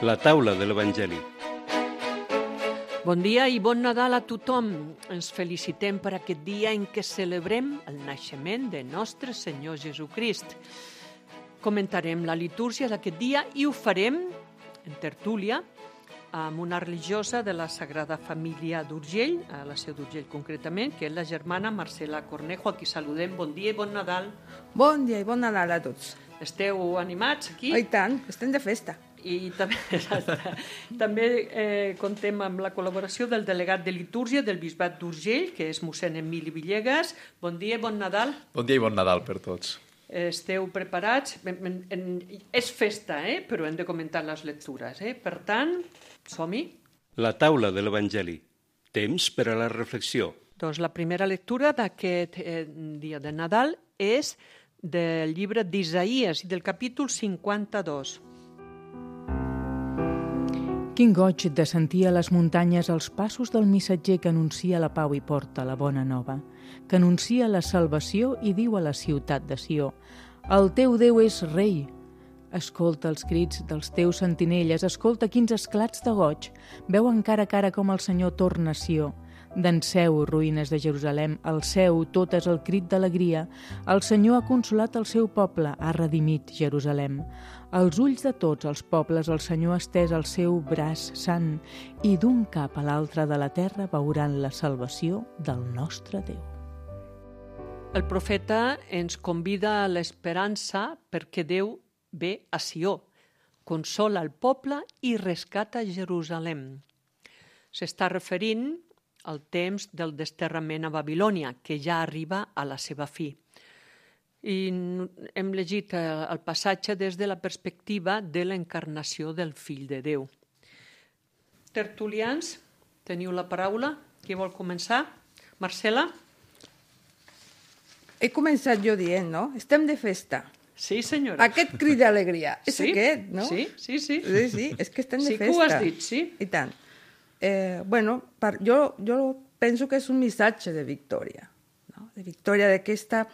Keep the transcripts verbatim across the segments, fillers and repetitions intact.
La taula de l'Evangeli. Bon dia i bon Nadal a tothom. Ens felicitem per aquest dia en què celebrem el naixement de nostre Senyor Jesucrist. Comentarem la litúrgia d'aquest dia i ho farem en tertúlia amb una religiosa de la Sagrada Família d'Urgell, a la Seu d'Urgell concretament, que és la germana Marcela Cornejo, a qui saludem. Bon dia i bon Nadal. Bon dia i bon Nadal a tots. Esteu animats aquí? Oh, i tant, estem de festa. I també, també eh, contem amb la col·laboració del delegat de litúrgia del Bisbat d'Urgell, que és mossèn Emili Villegas. Bon dia i bon Nadal. Bon dia i bon Nadal per tots. Esteu preparats? En, en, en, és festa, eh? Però hem de comentar les lectures. Eh? Per tant, som-hi. La taula de l'Evangeli. Temps per a la reflexió. Doncs la primera lectura d'aquest eh, dia de Nadal és del llibre d'Isaïes i del capítol cinquanta-dos. Quin goig de sentir a les muntanyes els passos del missatger que anuncia la pau i porta la bona nova, que anuncia la salvació i diu a la ciutat de Sió: el teu Déu és rei. Escolta els crits dels teus sentinelles, escolta quins esclats de goig. Veu encara a cara com el Senyor torna a Sió. Danseu, ruïnes de Jerusalem, alceu totes el crit d'alegria. El Senyor ha consolat el seu poble, ha redimit Jerusalem. Als ulls de tots els pobles el Senyor ha estès el seu braç sant i d'un cap a l'altre de la terra veuran la salvació del nostre Déu. El profeta ens convida a l'esperança perquè Déu ve a Sió, consola el poble i rescata Jerusalem. S'està referint al temps del desterrament a Babilònia, que ja arriba a la seva fi. I hem llegit el passatge des de la perspectiva de l'encarnació del Fill de Déu. Tertulians, teniu la paraula. Qui vol començar? Marcela? He començat jo dient, no? Estem de festa. Sí, senyora. Aquest crit d'alegria, és sí? aquest, no? Sí, sí, sí. Sí, sí, és que estem de sí festa. Sí que ho has dit, sí. I tant. Eh, bueno, per, jo, jo penso que és un missatge de victòria, no? De victòria d'aquesta,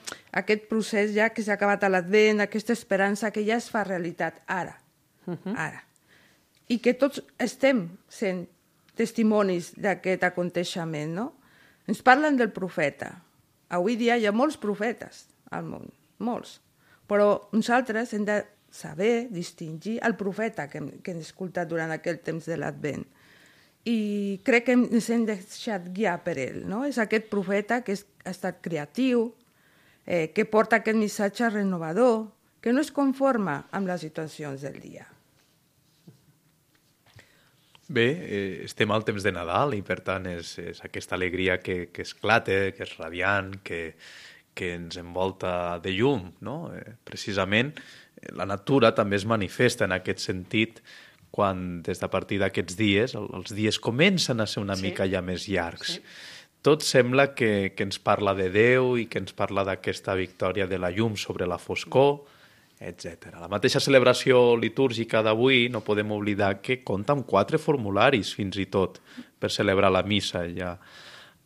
aquest procés ja que s'ha acabat a l'Advent, aquesta esperança que ja es fa realitat ara, uh -huh. ara. I que tots estem sent testimonis d'aquest aconteixement, no? Ens parlen del profeta. Avui dia hi ha molts profetes al món, molts. Però nosaltres hem de saber distingir el profeta que hem, que hem escoltat durant aquell temps de l'Advent. I crec que ens hem deixat guiar per ell, no? És aquest profeta que és, ha estat creatiu, eh, que porta aquest missatge renovador, que no es conforma amb les situacions del dia. Bé, eh, estem al temps de Nadal i per tant és, és aquesta alegria que, que esclata, que és radiant, que, que ens envolta de llum, no? Eh, precisament la natura també es manifesta en aquest sentit quan des de partir d'aquests dies, els dies comencen a ser una sí. mica ja més llargs. Sí. Tot sembla que, que ens parla de Déu i que ens parla d'aquesta victòria de la llum sobre la foscor, etcètera. La mateixa celebració litúrgica d'avui no podem oblidar que compta amb quatre formularis fins i tot per celebrar la missa. Ja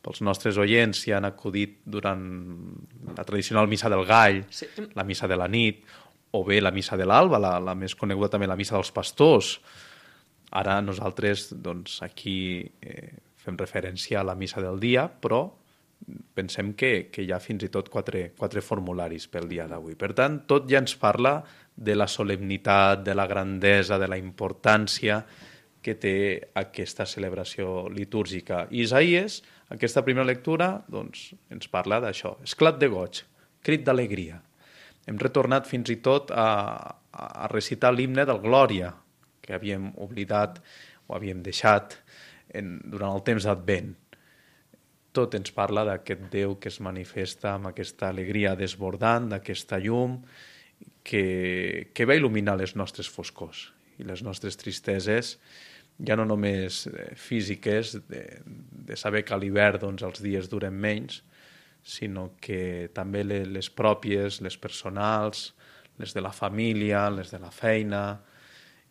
pels nostres oients hi han acudit durant la tradicional missa del gall, sí. la missa de la nit, o bé la missa de l'alba, la, la més coneguda també la missa dels pastors. Ara nosaltres doncs, aquí eh, fem referència a la missa del dia, però pensem que, que hi ha fins i tot quatre, quatre formularis pel dia d'avui. Per tant, tot ja ens parla de la solemnitat, de la grandesa, de la importància que té aquesta celebració litúrgica. I Isaïes, aquesta primera lectura, doncs, ens parla d'això. Esclat de goig, crit d'alegria. Hem retornat fins i tot a, a recitar l'himne del Glòria, que havíem oblidat o havíem deixat en, durant el temps d'Advent. Tot ens parla d'aquest Déu que es manifesta amb aquesta alegria desbordant, d'aquesta llum que, que va il·luminar les nostres foscors i les nostres tristeses, ja no només físiques, de, de saber que a l'hivern doncs, els dies duren menys, sinó que també les pròpies, les personals, les de la família, les de la feina,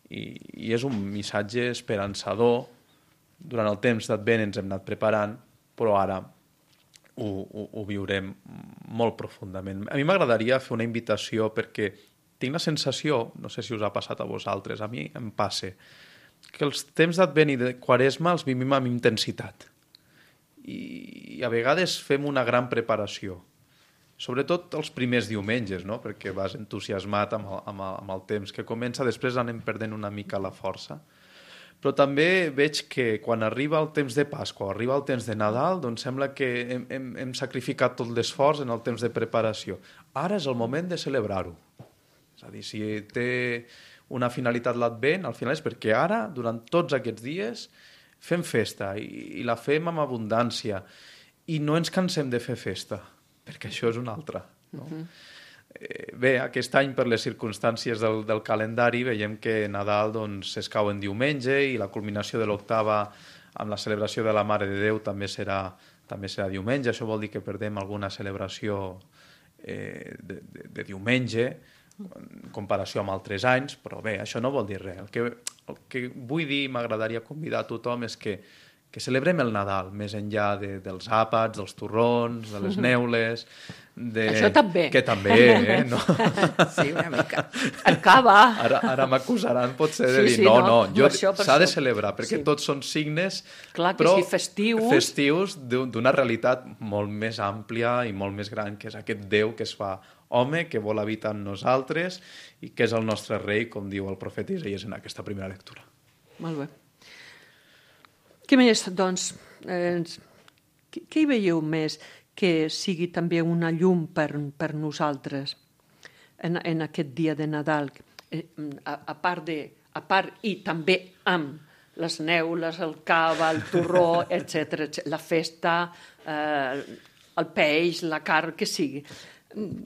i, i és un missatge esperançador. Durant el temps d'Advent ens hem anat preparant, però ara ho, ho, ho viurem molt profundament. A mi m'agradaria fer una invitació perquè tinc la sensació, no sé si us ha passat a vosaltres, a mi em passa, que els temps d'Advent i de Quaresma els vivim amb intensitat. I, i a vegades fem una gran preparació. Sobretot els primers diumenges, no? Perquè vas entusiasmat amb el, amb, el, amb el temps que comença, després anem perdent una mica la força. Però també veig que quan arriba el temps de Pasqua o arriba el temps de Nadal, doncs sembla que hem, hem, hem sacrificat tot l'esforç en el temps de preparació. Ara és el moment de celebrar-ho. És a dir, si té una finalitat l'Advent, al final és perquè ara, durant tots aquests dies, fem festa i, i la fem amb abundància i no ens cansem de fer festa, perquè això és una altra. No? Uh-huh. Eh, bé, aquest any, per les circumstàncies del, del calendari, veiem que Nadal doncs, es cau en diumenge i la culminació de l'octava amb la celebració de la Mare de Déu també serà, també serà diumenge. Això vol dir que perdem alguna celebració eh, de, de, de diumenge en comparació amb altres anys, però bé, això no vol dir res. El que, el que vull dir i m'agradaria convidar a tothom és que que celebrem el Nadal, més enllà de, dels àpats, dels torrons, de les neules... De... Això també. Que també, eh? No? Sí, una mica. Acaba. Ara, ara m'acusaran potser de Sí, dir sí, no, no, no, jo això per s'ha de això. celebrar, perquè Sí. tots són signes, Clar que però sí, festius. festius d'un- d'una realitat molt més àmplia i molt més gran, que és aquest Déu que es fa home, que vol habitar en nosaltres i que és el nostre rei, com diu el profeta Isaías en aquesta primera lectura. Molt bé. Què més, doncs, eh, què, què hi veieu més que sigui també una llum per, per nosaltres en, en aquest dia de Nadal? Eh, a, a, part de, a part i també amb les neules, el cava, el torró, etcètera, la festa, eh, el peix, la carn, que sigui.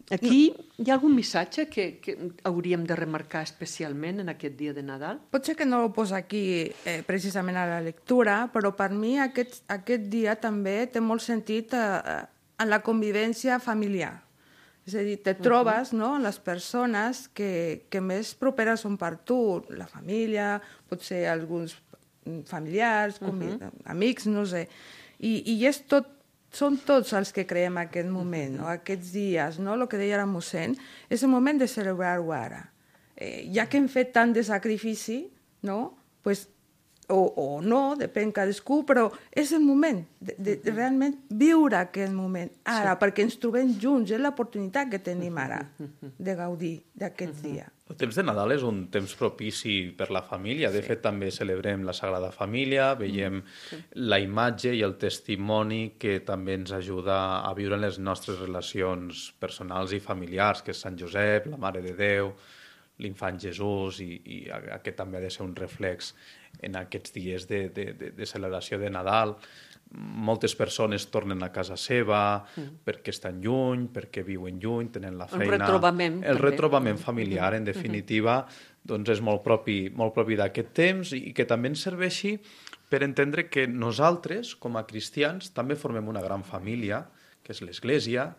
Aquí hi ha algun missatge que, que hauríem de remarcar especialment en aquest dia de Nadal? Potser que no ho posa aquí eh, precisament a la lectura, però per mi aquest, aquest dia també té molt sentit eh, en la convivència familiar. És a dir, te trobes no, en les persones que, que més properes són per tu, la família, potser alguns familiars, convi- uh-huh. amics, no sé. I, i és tot són tots els que creem aquest moment, no? Aquests dies, no? El que deia la mossèn, és el moment de celebrar-ho ara. Eh, ja que hem fet tant de sacrifici, no? Pues, o, o no, depèn cadascú, però és el moment de, de, de realment viure aquest moment ara, sí. Perquè ens trobem junts, és l'oportunitat que tenim ara de gaudir d'aquests dies. El temps de Nadal és un temps propici per la família. De fet, també celebrem la Sagrada Família, veiem sí. la imatge i el testimoni que també ens ajuda a viure en les nostres relacions personals i familiars, que és Sant Josep, la Mare de Déu, l'infant Jesús, i, i aquest també ha de ser un reflex en aquests dies de, de, de, de celebració de Nadal. Moltes persones tornen a casa seva mm. perquè estan lluny, perquè viuen lluny, tenen la feina... El retrobament. El també. retrobament familiar, en definitiva, doncs és molt propi, molt propi d'aquest temps i que també ens serveixi per entendre que nosaltres, com a cristians, també formem una gran família, que és l'Església,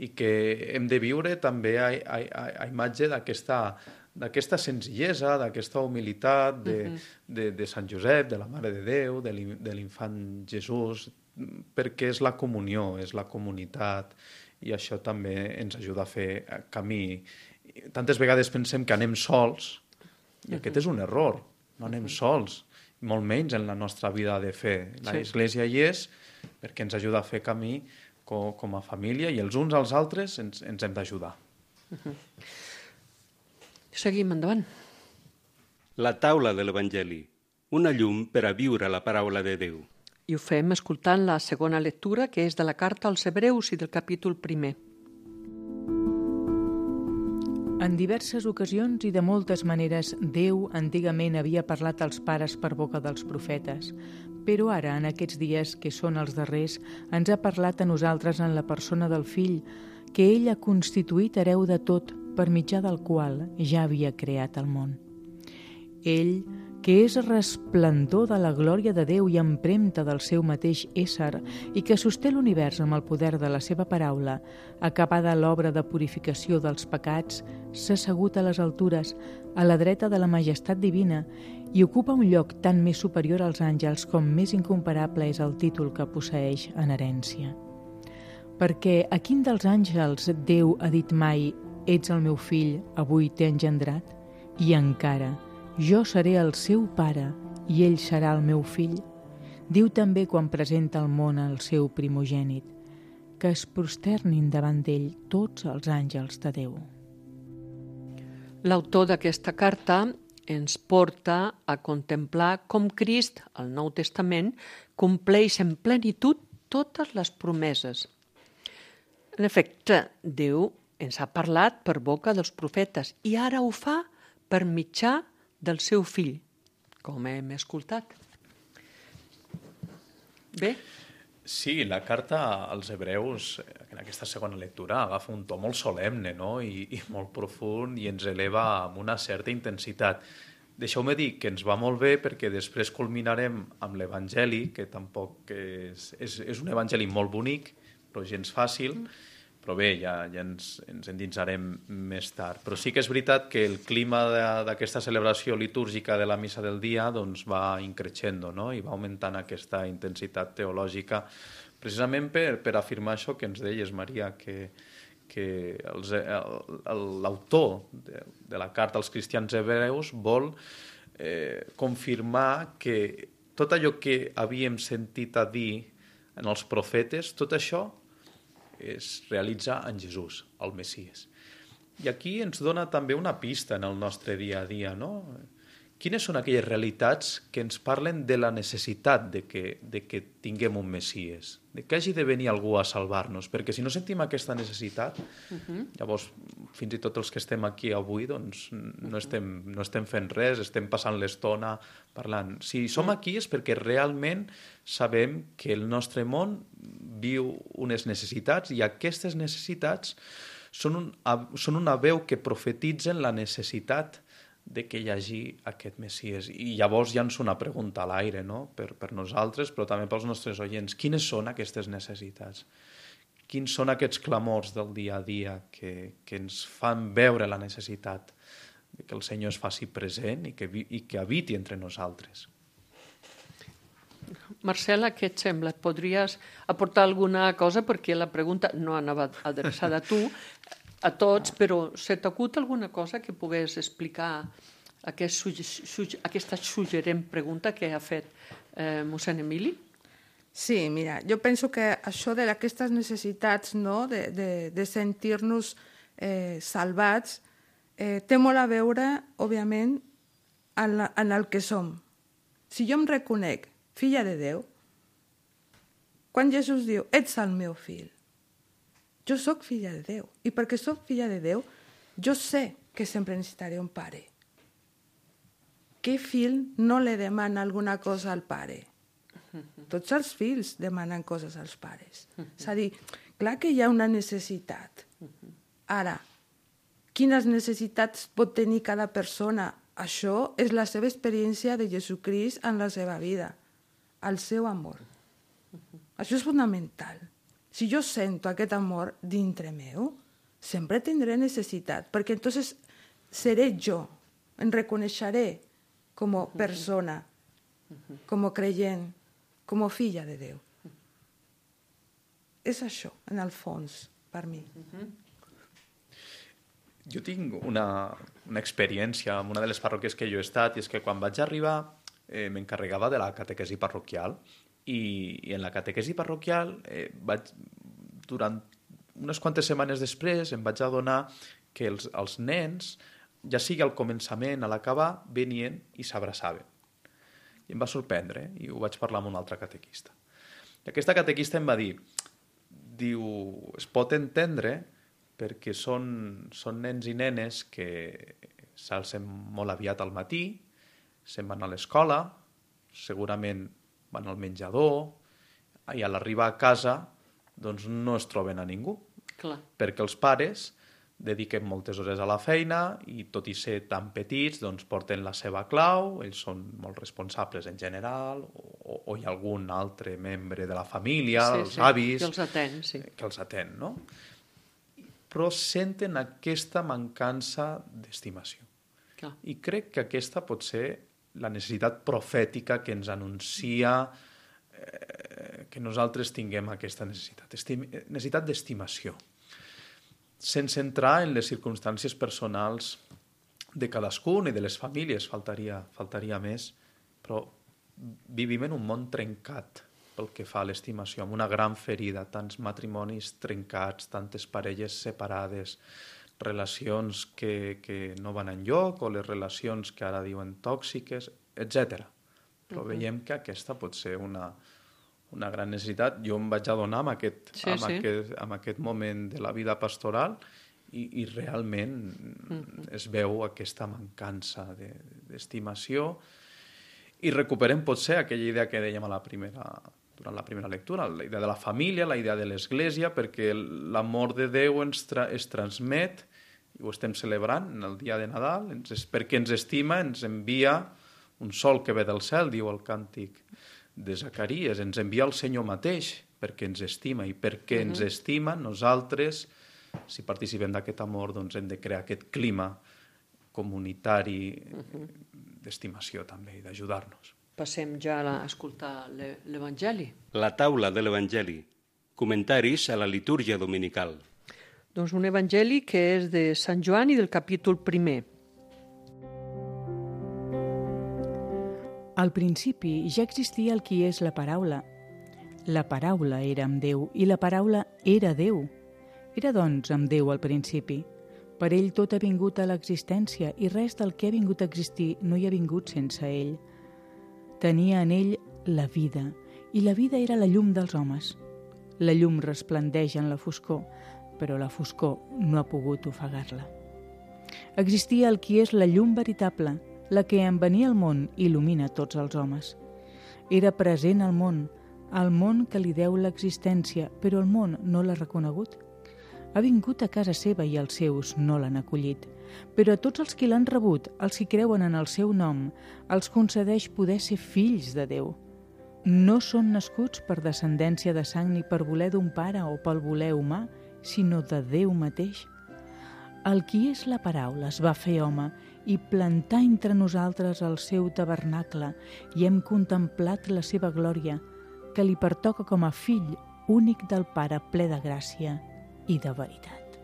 i que hem de viure també a, a, a, a imatge d'aquesta d'aquesta senzillesa, d'aquesta humilitat de, uh-huh. de, de Sant Josep, de la Mare de Déu, de l'infant Jesús, perquè és la comunió, és la comunitat, i això també ens ajuda a fer camí. Tantes vegades pensem que anem sols, i uh-huh. aquest és un error, no anem uh-huh. sols, molt menys en la nostra vida de fe. La sí. Església hi és perquè ens ajuda a fer camí com, com a família, i els uns als altres ens, ens hem d'ajudar. Uh-huh. Seguim endavant. La taula de l'Evangeli, una llum per a viure la paraula de Déu. I ho fem escoltant la segona lectura, que és de la carta als Hebreus i del capítol primer. En diverses ocasions i de moltes maneres, Déu antigament havia parlat als pares per boca dels profetes, però ara, en aquests dies que són els darrers, ens ha parlat a nosaltres en la persona del Fill, que ell ha constituït hereu de tot, per mitjà del qual ja havia creat el món. Ell, que és resplendor de la glòria de Déu i empremta del seu mateix ésser i que sosté l'univers amb el poder de la seva paraula, acabada l'obra de purificació dels pecats, s'ha assegut a les altures, a la dreta de la majestat divina, i ocupa un lloc tan més superior als àngels com més incomparable és el títol que posseeix en herència. Perquè a quin dels àngels Déu ha dit mai «Ets el meu fill, avui t'he engendrat», i encara «Jo seré el seu pare i ell serà el meu fill. Diu també quan presenta al món el seu primogènit, que es prosternin davant d'ell tots els àngels de Déu. L'autor d'aquesta carta ens porta a contemplar com Crist, al Nou Testament, compleix en plenitud totes les promeses. En efecte, Déu ens ha parlat per boca dels profetes i ara ho fa per mitjà del seu fill, com hem escoltat. Bé? Sí, la carta als hebreus, en aquesta segona lectura, agafa un to molt solemne, no? I, i molt profund i ens eleva amb una certa intensitat. Deixeu-me dir que ens va molt bé perquè després culminarem amb l'Evangeli, que tampoc és, és, és un Evangeli molt bonic, però gens fàcil, però bé, ja, ja ens, ens endinsarem més tard. Però sí que és veritat que el clima d'aquesta celebració litúrgica de la missa del dia doncs, va increixendo, no? I va augmentant aquesta intensitat teològica, precisament per, per afirmar això que ens deies, Maria, que, que els, l'autor de, de la carta als cristians hebreus vol eh, confirmar que tot allò que havíem sentit a dir en els profetes, tot això es realitza en Jesús, el Messies. I aquí ens dona també una pista en el nostre dia a dia, no? Quines són aquelles realitats que ens parlen de la necessitat de que, de que tinguem un Messies, de que hagi de venir algú a salvar-nos, perquè si no sentim aquesta necessitat, uh-huh. llavors fins i tot els que estem aquí avui doncs, no, estem, no estem fent res, estem passant l'estona parlant. Si som aquí és perquè realment sabem que el nostre món viu unes necessitats i aquestes necessitats són, un, són una veu que profetitzen la necessitat de que hi hagi aquest Messies. I llavors llanço una pregunta a l'aire, no? per, per nosaltres, però també pels nostres oients. Quines són aquestes necessitats? Quins són aquests clamors del dia a dia que, que ens fan veure la necessitat de que el Senyor es faci present i que, i que habiti entre nosaltres? Marcela, què et sembla? Et podries aportar alguna cosa? Perquè la pregunta no anava adreçada a tu, a tots, però se t'acut alguna cosa que pogués explicar aquest suge, suge, aquesta suggerent pregunta que ha fet eh, mossèn Emili? Sí, mira, jo penso que això d'aquestes necessitats, no?, de, de, de sentir-nos eh, salvats, eh, té molt a veure, òbviament, en, la, en el que som. Si jo em reconec filla de Déu, quan Jesús diu, ets el meu fill, jo sóc filla de Déu. I perquè sóc filla de Déu, jo sé que sempre necessitaré un pare. Què fill no li demana alguna cosa al pare? Tots els fills demanen coses als pares. És a dir, clar que hi ha una necessitat. Ara, quines necessitats pot tenir cada persona? Això és la seva experiència de Jesucrist en la seva vida, el seu amor. Això és fonamental. Si jo sento aquest amor dintre meu, sempre tindré necessitat, perquè entonces seré jo, em reconeixeré com a persona, com a creient, com a filla de Déu. És això, en el fons, per mi. Jo tinc una, una experiència en una de les parròquies que jo he estat, i és que quan vaig arribar eh, m'encarregava de la catequesi parroquial, i, i en la catequesi parroquial eh, vaig, durant unes quantes setmanes després em vaig adonar que els, els nens, ja sigui al començament, a l'acabar, venien i s'abraçaven. I em va sorprendre, eh? I ho vaig parlar amb un altre catequista. I aquesta catequista em va dir, diu, es pot entendre perquè són, són nens i nenes que s'alcen molt aviat al matí, se'n van a l'escola, segurament van al menjador, i a l'arribar a casa doncs no es troben a ningú. Clar. Perquè els pares dediquen moltes hores a la feina i tot i ser tan petits doncs porten la seva clau, ells són molt responsables en general, o, o hi ha algun altre membre de la família, sí, els sí, avis, que els atén, sí. que els atén, no? Però senten aquesta mancança d'estimació. Clar. I crec que aquesta pot ser la necessitat profètica que ens anuncia eh, que nosaltres tinguem aquesta necessitat, Estim necessitat d'estimació, sense entrar en les circumstàncies personals de cadascun i de les famílies, faltaria, faltaria més, però vivim en un món trencat pel que fa a l'estimació, amb una gran ferida, tants matrimonis trencats, tantes parelles separades, relacions que, que no van enlloc, o les relacions que ara diuen tòxiques, etcètera. Però uh-huh. veiem que aquesta pot ser una, una gran necessitat. Jo em vaig adonar amb aquest, sí, amb, sí. aquest, amb aquest moment de la vida pastoral i, i realment uh-huh. es veu aquesta mancança de, d'estimació i recuperem potser aquella idea que dèiem a la primera, durant la primera lectura, la idea de la família, la idea de l'Església, perquè l'amor de Déu ens tra es transmet, i ho estem celebrant en el dia de Nadal, ens, perquè ens estima, ens envia un sol que ve del cel, diu el càntic de Zacaries, ens envia el Senyor mateix perquè ens estima, i perquè uh-huh. ens estima, nosaltres, si participem d'aquest amor, doncs hem de crear aquest clima comunitari uh-huh. d'estimació també i d'ajudar-nos. Passem ja a escoltar l'Evangeli. La taula de l'Evangeli. Comentaris a la litúrgia dominical. Doncs un Evangeli que és de Sant Joan i del capítol primer. Al principi ja existia el qui és la paraula. La paraula era amb Déu i la paraula era Déu. Era, doncs, amb Déu al principi. Per ell tot ha vingut a l'existència i res del que ha vingut a existir no hi ha vingut sense ell. Tenia en ell la vida, i la vida era la llum dels homes. La llum resplendeix en la foscor, però la foscor no ha pogut ofegar-la. Existia el qui és la llum veritable, la que en venir al món il·lumina tots els homes. Era present al món, al món que li deu l'existència, però el món no l'ha reconegut. Ha vingut a casa seva i els seus no l'han acollit, però a tots els qui l'han rebut, els que creuen en el seu nom, els concedeix poder ser fills de Déu. No són nascuts per descendència de sang ni per voler d'un pare o pel voler humà, sinó de Déu mateix. El qui és la paraula es va fer home i plantà entre nosaltres el seu tabernacle i hem contemplat la seva glòria, que li pertoca com a fill únic del Pare ple de gràcia i de veritat.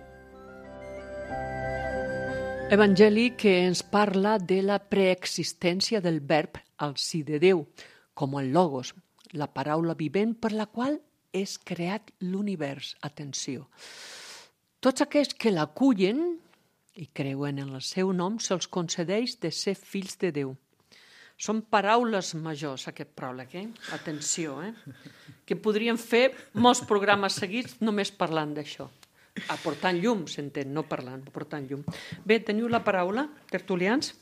Evangeli que ens parla de la preexistència del verb al si de Déu, com el logos, la paraula vivent per la qual és creat l'univers. Atenció! Tots aquells que l'acullen i creuen en el seu nom se'ls concedeix de ser fills de Déu. Són paraules majors, aquest pròleg, eh? Atenció, eh? Que podríem fer molts programes seguits només parlant d'això. Aportant llum, s'entén, no parlant, aportant llum. Bé, teniu la paraula, tertulians?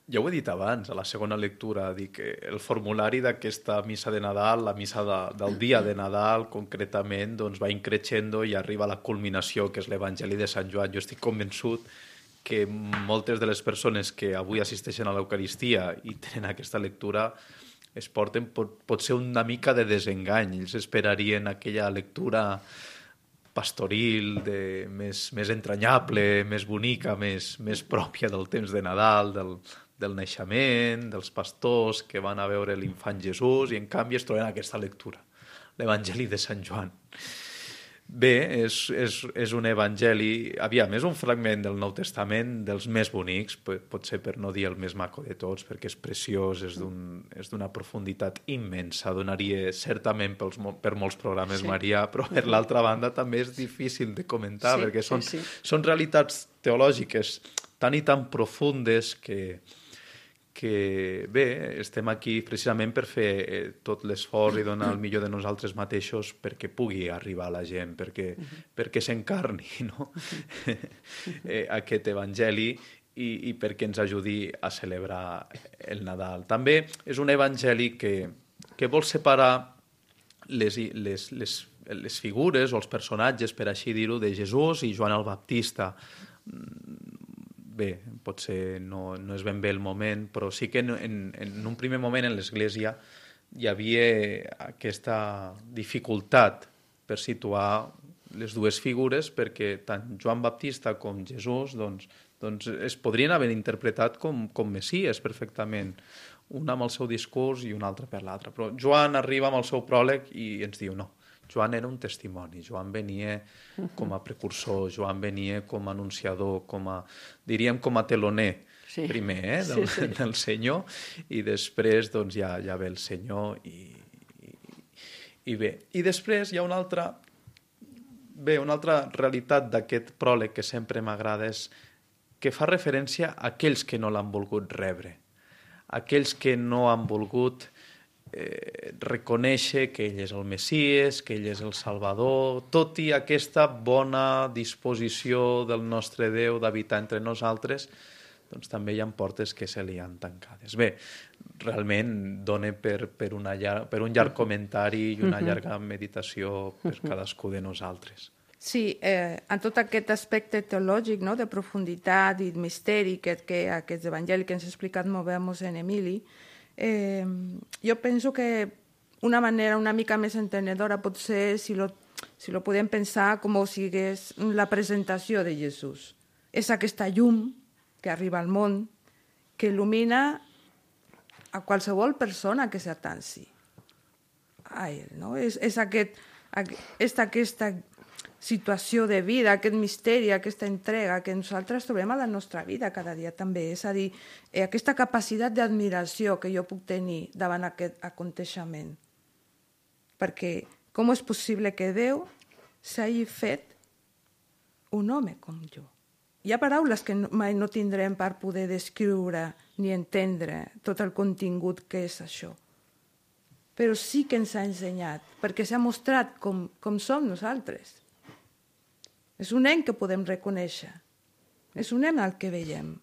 Ja ho he dit abans, a la segona lectura, dic que el formulari d'aquesta missa de Nadal, la missa de, del dia de Nadal, concretament, doncs va increixendo i arriba a la culminació, que és l'Evangeli de Sant Joan. Jo estic convençut que moltes de les persones que avui assisteixen a l'Eucaristia i tenen aquesta lectura es porten pot, pot ser una mica de desengany. Ells esperarien aquella lectura pastoril, de, més, més entranyable, més bonica, més, més pròpia del temps de Nadal, del, del naixement, dels pastors que van a veure l'infant Jesús, i en canvi es troben aquesta lectura, l'Evangeli de Sant Joan. Bé, és, és, és un evangeli, aviam, és un fragment del Nou Testament dels més bonics, potser per no dir el més maco de tots, perquè és preciós, és d'una profunditat immensa, donaria certament pels, per molts programes, sí. Maria, però per l'altra banda també és difícil de comentar, sí, perquè són, sí, sí. són realitats teològiques tan i tan profundes que... que bé, estem aquí precisament per fer eh, tot l'esforç i donar el millor de nosaltres mateixos perquè pugui arribar a la gent, perquè, uh-huh. perquè s'encarni, no? eh, aquest evangeli i, i perquè ens ajudi a celebrar el Nadal. També és un evangeli que, que vol separar les, les, les, les figures o els personatges, per així dir-ho, de Jesús i Joan el Baptista. Bé, potser no, no és ben bé el moment, però sí que en, en un primer moment en l'Església hi havia aquesta dificultat per situar les dues figures, perquè tant Joan Baptista com Jesús doncs, doncs es podrien haver interpretat com, com Messies perfectament, un amb el seu discurs i un altre per l'altre. Però Joan arriba amb el seu pròleg i ens diu no. Joan era un testimoni, Joan venia com a precursor, Joan venia com a anunciador, com a, diríem com a teloner. Sí, sí. primer, eh, del, sí, sí. del Senyor, i després doncs, ja, ja ve el Senyor i, i, i bé. I després hi ha una altra... Bé, una altra realitat d'aquest pròleg que sempre m'agrada és que fa referència a aquells que no l'han volgut rebre, aquells que no han volgut eh, reconèixer que ell és el Messies, que ell és el Salvador, tot i aquesta bona disposició del nostre Déu d'habitar entre nosaltres, doncs també hi ha portes que se li han tancades. Bé, realment dona per, per, una llar, per un llarg comentari i una llarga meditació per cadascú de nosaltres. Sí, eh, en tot aquest aspecte teològic, no?, de profunditat i misteri que, que aquest evangeli que ens ha explicat molt bé en Emili, eh, jo penso que una manera una mica més entenedora pot ser si lo, si lo podem pensar com si és la presentació de Jesús. És aquesta llum que arriba al món, que il·lumina a qualsevol persona que s'atanci a ell. No? És, és, aquest, és aquesta situació de vida, aquest misteri, aquesta entrega que nosaltres trobem a la nostra vida cada dia també. És a dir, aquesta capacitat d'admiració que jo puc tenir davant aquest aconteixement. Perquè com és possible que Déu s'hagi fet un home com jo? Hi ha paraules que mai no tindrem per poder descriure ni entendre tot el contingut que és això. Però sí que ens ha ensenyat, perquè s'ha mostrat com, com som nosaltres. És un nen que podem reconèixer. És un nen al que veiem.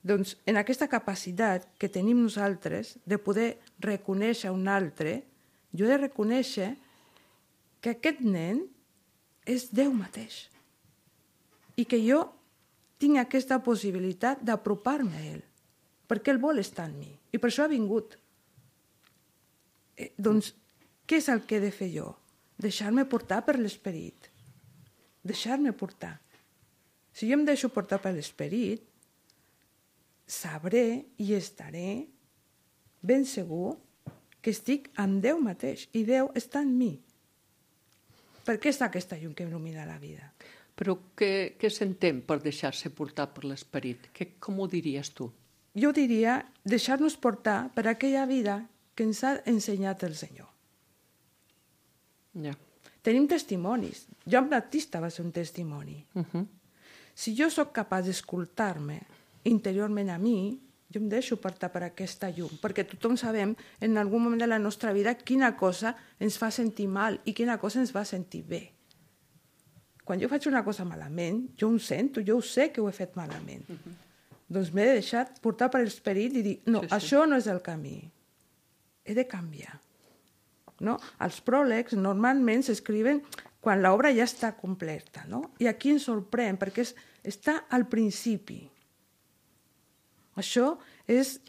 Doncs en aquesta capacitat que tenim nosaltres de poder reconèixer un altre, jo he de reconèixer que aquest nen és Déu mateix. I que jo tinc aquesta possibilitat d'apropar-me a ell, perquè ell vol estar en mi. I per això ha vingut. Eh, doncs, què és el que he de fer jo? Deixar-me portar per l'esperit. Deixar-me portar. Si jo em deixo portar per l'esperit, sabré i estaré ben segur que estic amb Déu mateix i Déu està en mi. Per què està aquesta llum que il·lumina la vida? Però què, què s'entén per deixar-se portar per l'esperit? Com ho diries tu? Jo diria deixar-nos portar per aquella vida que ens ha ensenyat el Senyor. Ja. Tenim testimonis. Joan Baptista va ser un testimoni. Uh-huh. Si jo sóc capaç d'escoltar-me interiorment a mi, jo em deixo portar per aquesta llum, perquè tothom sabem en algun moment de la nostra vida quina cosa ens fa sentir mal i quina cosa ens va sentir bé. Quan jo faig una cosa malament, jo ho sento, jo ho sé que ho he fet malament. Uh-huh. Doncs m'he de deixar portar per l'esperit i dir, no, sí, sí. Això no és el camí. He de canviar. No? Els pròlegs normalment s'escriuen quan l'obra ja està completa. No? I aquí ens sorprèn, perquè és, està al principi. Això és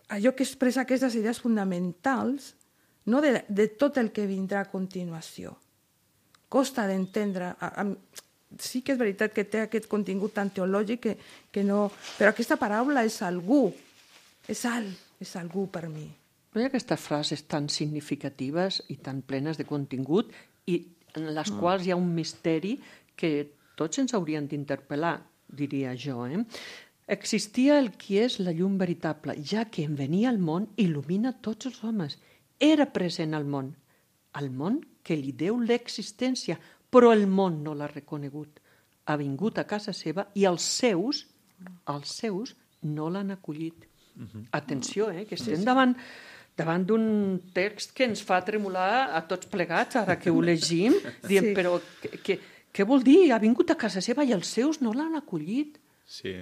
allò que expressa aquestes idees fonamentals, no de, de tot el que vindrà a continuació. Costa d'entendre. Sí que és veritat que té aquest contingut tan teològic que, que no... Però aquesta paraula és algú. És alt, és algú per mi. No hi ha aquestes frases tan significatives i tan plenes de contingut i en les mm. quals hi ha un misteri que tots ens haurien d'interpel·lar, diria jo. Eh? Existia el qui és la llum veritable, ja que en venir al món il·lumina tots els homes. Era present al món. Al món que li deu l'existència, però el món no l'ha reconegut. Ha vingut a casa seva i els seus, els seus no l'han acollit. Uh-huh. Atenció, eh, que estem davant, davant d'un text que ens fa tremolar a tots plegats, ara que ho llegim, diem, sí. Però què, què vol dir? Ha vingut a casa seva i els seus no l'han acollit. Sí,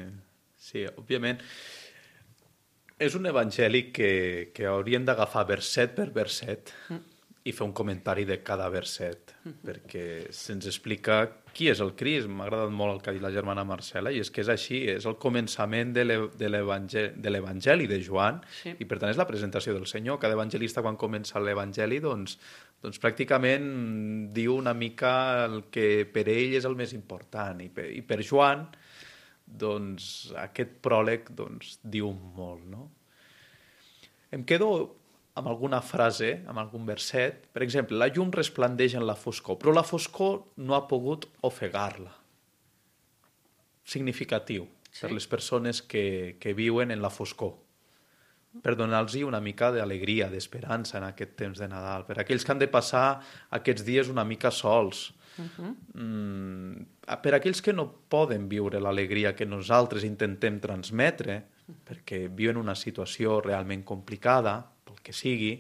sí, òbviament. És un evangeli que, que hauríem d'agafar verset per verset mm. i fer un comentari de cada verset, mm-hmm. perquè se'ns explica qui és el Crist. M'ha agradat molt el que ha dit la germana Marcela, i és que és així, és el començament de l'Evangeli de Joan, sí. I per tant és la presentació del Senyor. Cada evangelista, quan comença l'Evangeli, doncs, doncs pràcticament diu una mica el que per ell és el més important, i per, i per Joan doncs, aquest pròleg doncs, diu molt, no? Em quedo amb alguna frase, amb algun verset. Per exemple, la llum resplandeix en la foscor, però la foscor no ha pogut ofegar-la. Significatiu. sí. per les persones que, que viuen en la foscor, per donar-los una mica d'alegria, d'esperança en aquest temps de Nadal, per aquells que han de passar aquests dies una mica sols, uh-huh. mm, per aquells que no poden viure l'alegria que nosaltres intentem transmetre, uh-huh. perquè viuen una situació realment complicada, pel que sigui.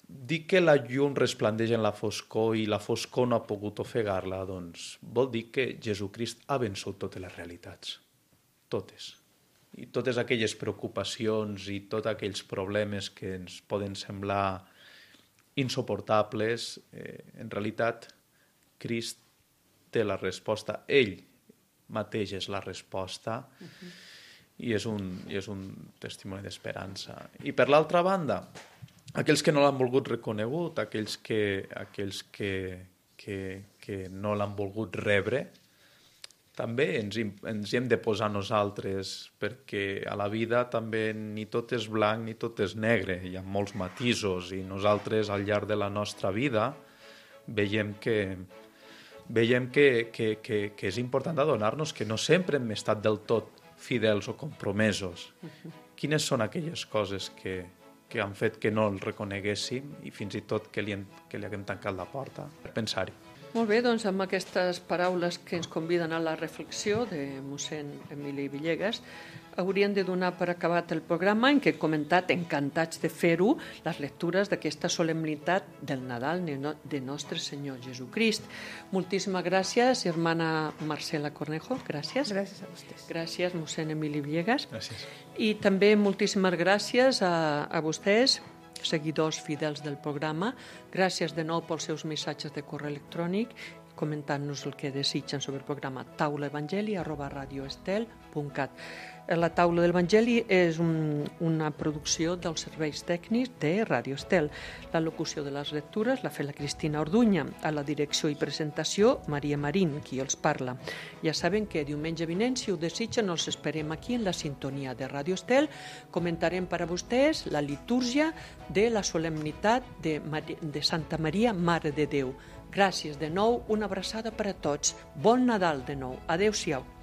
Dir que la llum resplandeix en la foscor i la foscor no ha pogut ofegar-la, doncs vol dir que Jesucrist ha vençut totes les realitats, totes. I totes aquelles preocupacions i tots aquells problemes que ens poden semblar insuportables, eh, en realitat, Crist té la resposta, ell mateix és la resposta, uh-huh. i, és un, i és un testimoni d'esperança. I per l'altra banda, aquells que no l'han volgut reconegut, aquells que, aquells que, que, que no l'han volgut rebre, també ens, ens hi hem de posar nosaltres, perquè a la vida també ni tot és blanc ni tot és negre, hi ha molts matisos, i nosaltres al llarg de la nostra vida veiem que, veiem que, que, que, que és important adonar-nos que no sempre hem estat del tot fidels o compromesos. Quines són aquelles coses que, que han fet que no el reconeguéssim i fins i tot que li, hem, que li haguem tancat la porta per pensar-hi? Molt bé, doncs amb aquestes paraules que ens conviden a la reflexió de mossèn Emili Villegas, hauríem de donar per acabat el programa en què he comentat, encantats de fer-ho, les lectures d'aquesta solemnitat del Nadal de Nostre Senyor Jesucrist. Moltíssimes gràcies, hermana Marcela Cornejo, gràcies. Gràcies a vostès. Gràcies, mossèn Emili Villegas. Gràcies. I també moltíssimes gràcies a, a vostès, seguidors fidels del programa. Gràcies de nou pels seus missatges de correu electrònic, comentant-nos el que desitgen sobre el programa taulaevangeli arroba radioestel punt cat. La Taula de l'Evangeli és un, una producció dels serveis tècnics de Radio Estel. La locució de les lectures la fa la Cristina Orduña. A la direcció i presentació, Maria Marín, qui els parla. Ja saben que diumenge vinent, si ho desitgen, els esperem aquí en la sintonia de Radio Estel. Comentarem per a vostès la litúrgia de la solemnitat de, Mar- de Santa Maria, Mare de Déu. Gràcies de nou, una abraçada per a tots. Bon Nadal de nou. Adéu-siau.